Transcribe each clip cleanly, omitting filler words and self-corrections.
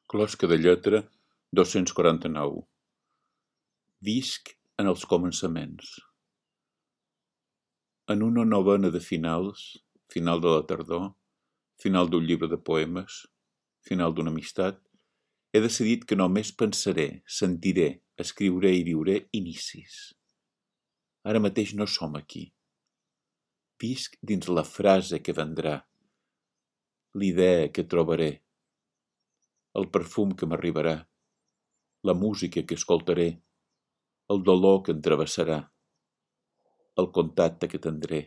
Closca de lletra 249. Visc en els començaments. En una novena de finals, final de la tardor, final d'un llibre de poemes, final d'una amistat, he decidit que només pensaré, sentiré, escriuré i viuré inicis. Ara mateix no som aquí. Visc dins la frase que vendrà, l'idea que trobaré, el perfum que m'arribarà, la música que escoltaré, el dolor que em travessarà, el contacte que tindré,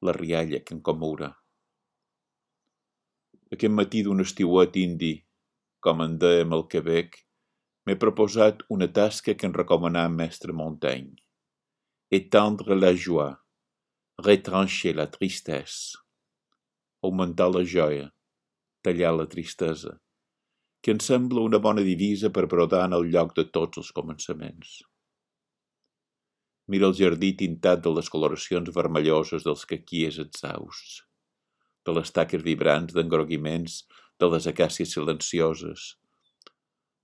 la rialla que em commourà. Aquest matí d'un estiuet indi, com en dèiem al Quebec, m'he proposat una tasca que em recomanà mestre Montaigne. Étendre la joie, retrancher la tristesse, augmentar la joia, tallar la tristesa, que em sembla una bona divisa per brodar en el lloc de tots els començaments. Mira el jardí tintat de les coloracions vermelloses dels caquies exhausts, de les taques vibrants d'engroguiments de les acàcies silencioses,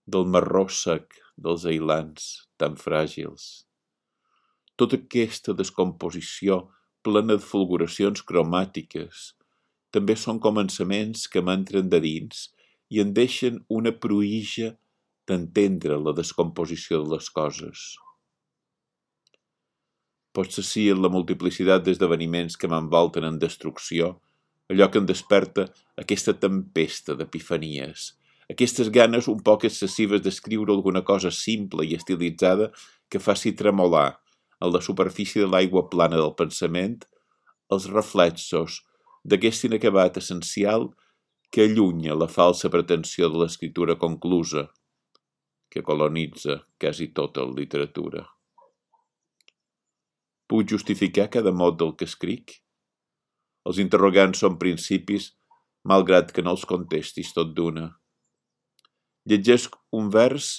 del marró sec dels ailans tan fràgils. Tota aquesta descomposició plena de fulguracions cromàtiques també són començaments que m'entren de dins i en deixen una pruïja d'entendre la descomposició de les coses. Potser sí en la multiplicitat d'esdeveniments que m'envolten en destrucció, allò que em desperta aquesta tempesta d'epifanies, aquestes ganes un poc excessives d'escriure alguna cosa simple i estilitzada que faci tremolar en la superfície de l'aigua plana del pensament els reflexos d'aquest inacabat essencial que allunya la falsa pretensió de l'escriptura conclusa, que colonitza quasi tota la literatura. Puc justificar cada mot del que escric? Els interrogants són principis, malgrat que no els contestis tot d'una. Llegesc un vers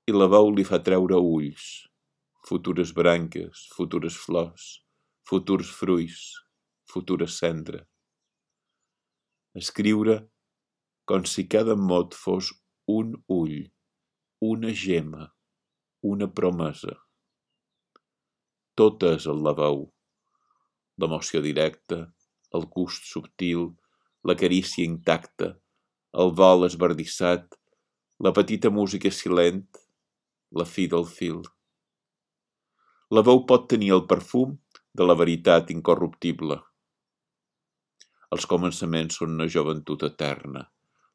i la veu li fa treure ulls, futures branques, futures flors, futurs fruits, futura cendra. Escriure com si cada mot fos un ull, una gema, una promesa. Tot és el la veu, l'emoció directa, el gust subtil, la carícia intacta, el vol esbardissat, la petita música silent, la fi del fil. La veu pot tenir el perfum de la veritat incorruptible. Els començaments són una joventut eterna.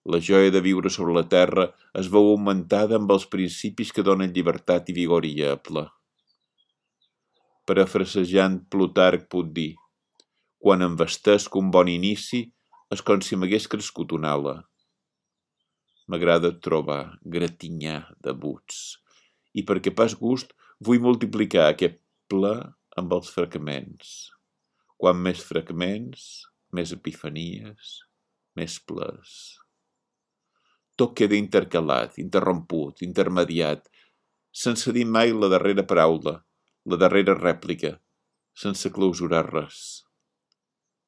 La joia de viure sobre la terra es veu augmentada amb els principis que donen llibertat i vigor inviable. Parafrasejant Plutarc puc dir: quan em vestesc un bon inici és com si m'hagués crescut una ala. M'agrada trobar, gratinyar debuts, i perquè pas gust vull multiplicar aquest ple amb els fragments. Quan més fragments, més epifanies, més plers. Tot queda intercalat, interromput, intermediat, sense dir mai la darrera paraula, la darrera rèplica, sense clausurar res.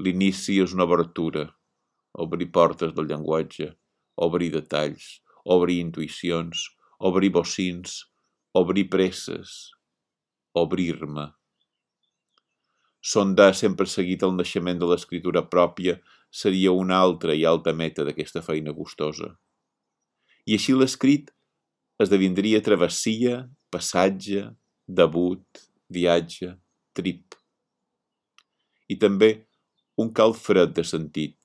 L'inici és una obertura, obrir portes del llenguatge, obrir detalls, obrir intuïcions, obrir bocins, obrir presses, obrir-me. Sondar sempre seguit el naixement de l'escriptura pròpia seria una altra i alta meta d'aquesta feina gustosa. I així l'escrit esdevindria travessia, passatge, debut, viatge, trip. I també un cal fred de sentit.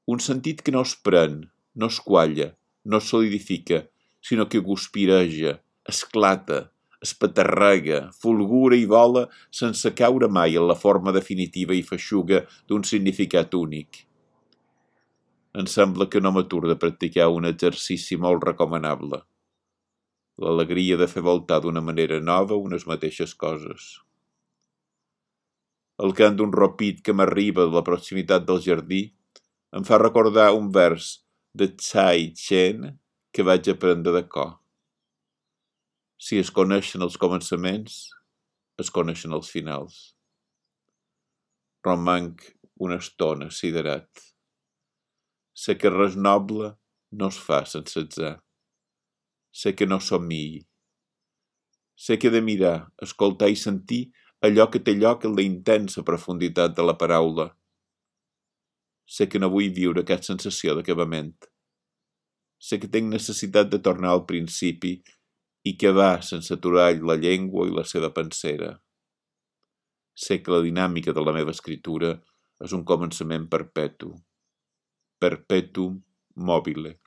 Un sentit que no es pren, no es qualla, no es solidifica, sinó que guspireja, esclata, espatarrega, fulgura i vola sense caure mai en la forma definitiva i feixuga d'un significat únic. Em sembla que no m'atur de practicar un exercici molt recomanable. L'alegria de fer voltar d'una manera nova unes mateixes coses. El cant d'un ropit que m'arriba de la proximitat del jardí em fa recordar un vers de Tsai Chen que vaig aprendre de cor. Si es coneixen els començaments, es coneixen els finals. Romanc una estona siderat. Sé que res noble no es fa sense atzar. Sé que no somniï. Sé que he de mirar, escoltar i sentir allò que té lloc en la intensa profunditat de la paraula. Sé que no vull viure aquesta sensació d'acabament. Sé que tinc necessitat de tornar al principi i que va sense aturar la llengua i la seva pensera. Sé que la dinàmica de la meva escritura és un començament perpetu. Perpetuum mobile.